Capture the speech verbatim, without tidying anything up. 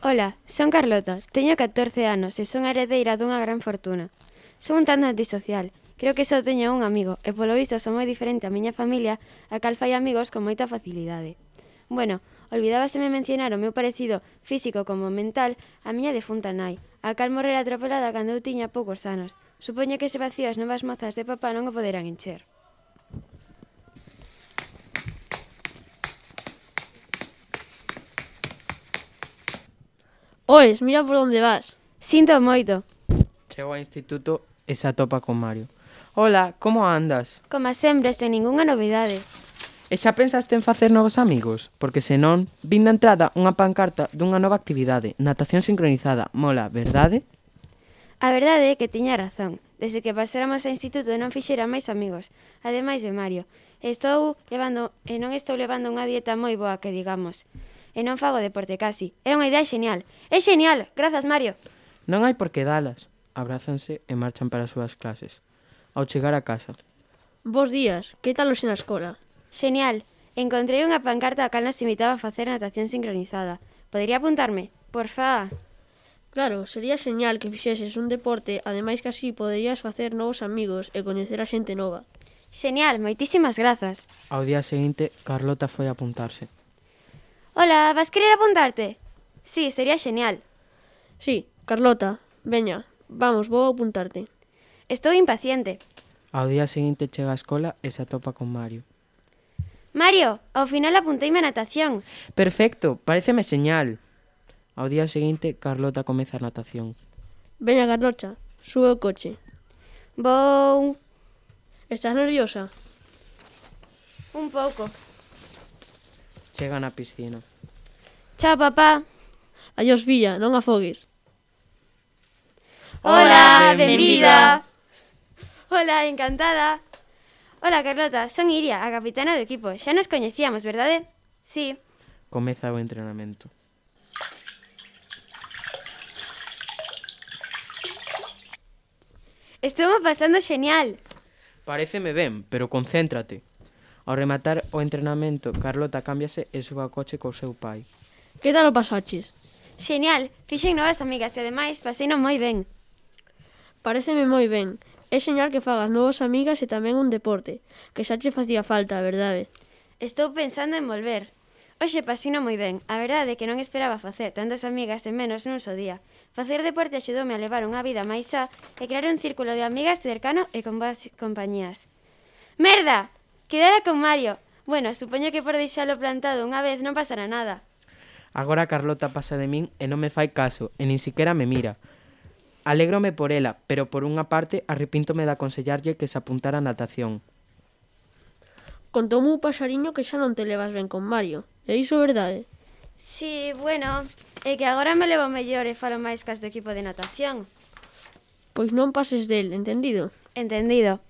Ola, son Carlota, teño catorce anos e son heredeira dunha gran fortuna. Son un tanto antisocial, creo que só teño un amigo e polo visto son moi diferente a miña familia, a cal fai amigos con moita facilidade. Bueno, olvidábaseme mencionar o meu parecido físico como mental a miña defunta nai, a cal morrera atropelada cando eu tiña poucos anos. Supoño que ese vacío as novas mozas de papá non o poderán encher. Oes, mira por onde vas. Sinto moito. Chego ao instituto e se atopa con Mario. Hola, como andas? Como sempre, sen ningunha novidade. E xa pensaste en facer novos amigos? Porque senón, vin na entrada unha pancarta dunha nova actividade, natación sincronizada. Mola, verdade? A verdade é que tiña razón. Desde que pasáramos ao instituto non fixera máis amigos, ademais de Mario. Estou levando, e non estou levando unha dieta moi boa, que digamos. E non fago deporte casi. Era unha idea xenial. É xenial, grazas Mario. Non hai por que dalas. Abrázanse e marchan para as súas clases. Ao chegar a casa. Bos días, que tal hoxe na escola? Xenial. Encontrei unha pancarta a cal nos invitaba a facer natación sincronizada. Podería apuntarme? Porfa. Claro, sería señal que fixeses un deporte, ademais que así poderías facer novos amigos e coñecer a xente nova. Xenial, moitísimas grazas. Ao día seguinte, Carlota foi a apuntarse. Hola, vas querer apuntarte? Sí, sería xenial. Sí, Carlota, veña, vamos, vou apuntarte. Estou impaciente. Ao día seguinte chega á escola e se atopa con Mario. Mario, ao final apunteime a natación. Perfecto, paréceme señal. Ao día seguinte, Carlota comeza a natación. Veña, Carlota, sube o coche. Vou... Estás nerviosa? un pouco. Chega na piscina. Chao, papá. Adiós, filla, non afogues. Hola, benvida. Hola, encantada. Hola, Carlota, son Iria, a capitana do equipo. Xa nos coñecíamos, verdade? Sí. Comeza o entrenamento. Estuvo pasando xenial. Paréceme ben, pero concéntrate. Ao rematar o entrenamento, Carlota cámbiase e sube ao coche co seu pai. Que tal o pasaches? Xenial, fixen novas amigas e ademais paseino moi ben. Paréceme moi ben. É señal que fagas novas amigas e tamén un deporte, que xa che facía falta, a verdade. Estou pensando en volver. Hoxe pasino moi ben. A verdade é que non esperaba facer tantas amigas de menos nun só día. Facer deporte axudoume a levar unha vida máis sá e crear un círculo de amigas cercano e con boas compañías. Merda! Quedara con Mario. Bueno, supoño que por deixalo plantado unha vez non pasará nada. Agora Carlota pasa de min e non me fai caso, e nin siquiera me mira. Alégrome por ela, pero por unha parte arrepíntome de aconsellarlle que se apuntara a natación. Contoume un paxariño que xa non te levas ben con Mario. É iso verdade? Sí, bueno, é que agora me levo mellor e falo máis cas do equipo de natación. Pois non pases del, entendido? Entendido.